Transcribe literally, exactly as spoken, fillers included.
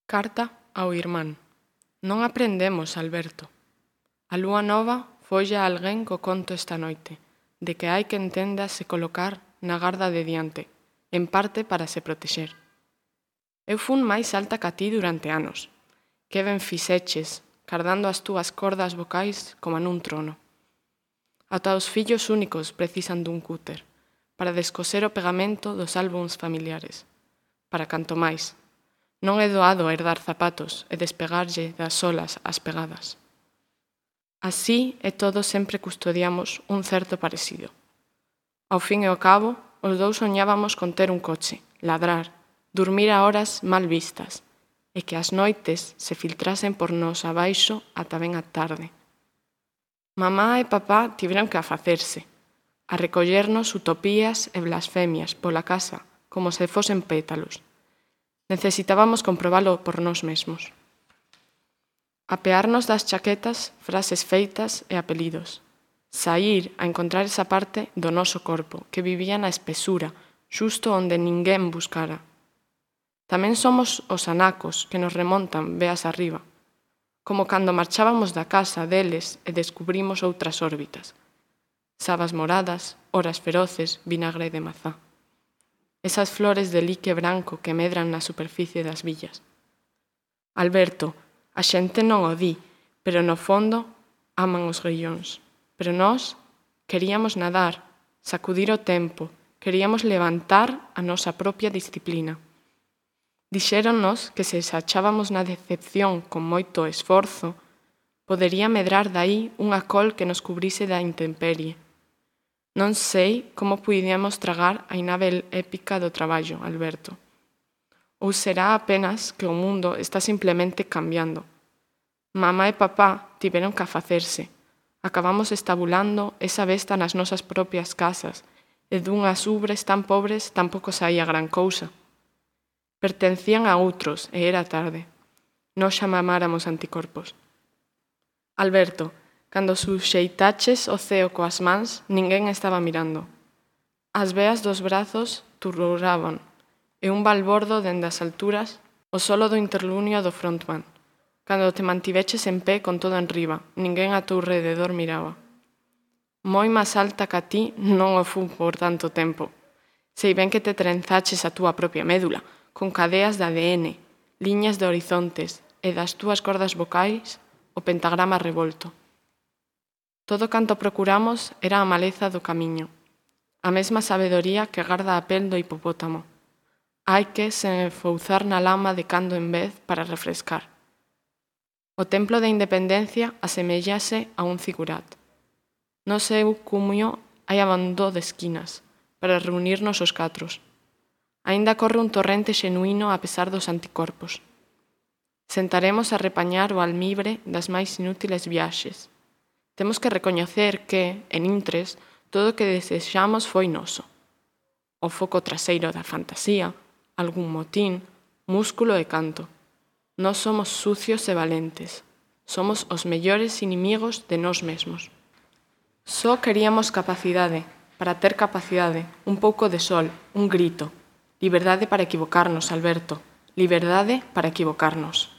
Carta ao irmán. Non aprendemos, Alberto. A lúa nova folla a alguén co conto esta noite, de que hai que entenda se colocar na garda de diante, en parte para se protexer. Eu fun máis alta ca ti durante anos. Que ben fixeches, cardando as túas cordas vocais como nun trono. Ata os fillos únicos precisan dun cúter, para descoser o pegamento dos álbums familiares. Para canto máis. Non é doado herdar zapatos e despegarlle das solas as pegadas. Así e todo sempre custodiamos un certo parecido. Ao fin e ao cabo, os dous soñábamos con ter un coche, ladrar, dormir a horas mal vistas, e que as noites se filtrasen por nos abaixo ata ben a tarde. Mamá e papá tiveron que afacerse, a recollernos utopías e blasfemias pola casa como se fosen pétalos. Necesitábamos comprobalo por nós mesmos. Apearnos das chaquetas, frases feitas e apelidos. Saír a encontrar esa parte do noso corpo que vivía na espesura, xusto onde ninguén buscara. Tamén somos os anacos que nos remontan veas arriba, como cando marchábamos da casa deles e descubrimos outras órbitas. Sabas moradas, horas feroces, vinagre de mazá. Esas flores de lique branco que medran na superficie das villas. Alberto, a xente non o di, pero no fondo aman os grillóns. Pero nós queríamos nadar, sacudir o tempo, queríamos levantar a nosa propia disciplina. Dixéronnos que se sachábamos na decepción con moito esforzo, podería medrar dai unha col que nos cubrise da intemperie. Non sei como puidíamos tragar a inável épica do traballo, Alberto. Ou será apenas que o mundo está simplemente cambiando. Mamá e papá tiveron que afacerse. Acabamos estabulando esa besta nas nosas propias casas e dunhas ubres tan pobres tampouco saía gran cousa. Pertencían a outros e era tarde. Nós xa mamáramos anticorpos. Alberto, cando suxeitaches o ceo coas mans, ninguén estaba mirando. As veas dos brazos turrouraban, e un balbordo dende as alturas, o solo do interlunio do frontman. Cando te mantiveches en pé con todo enriba, ninguén a teu rededor miraba. Moi máis alta ca ti non o fun por tanto tempo. Sei ben que te trenzaches a túa propia médula, con cadeas de A D N, liñas de horizontes, e das túas cordas vocais, o pentagrama revolto. Todo canto procuramos era a maleza do camiño, a mesma sabedoría que garda a pel do hipopótamo. Hai que se enfouzar na lama de cando en vez para refrescar. O templo da independencia asemellase a un zigurat. No seu cumio hai abando de esquinas, para reunirnos os catros. Aínda corre un torrente xenuíno a pesar dos anticorpos. Sentaremos a repañar o almibre das máis inútiles viaxes. Temos que recoñecer que, en intres, todo o que desexamos foi noso. O foco traseiro da fantasía, algún motín, músculo e canto. Nós somos sucios e valentes. Somos os mellores inimigos de nós mesmos. Só queríamos capacidade, para ter capacidade, un pouco de sol, un grito. Liberdade para equivocarnos, Alberto. Liberdade para equivocarnos.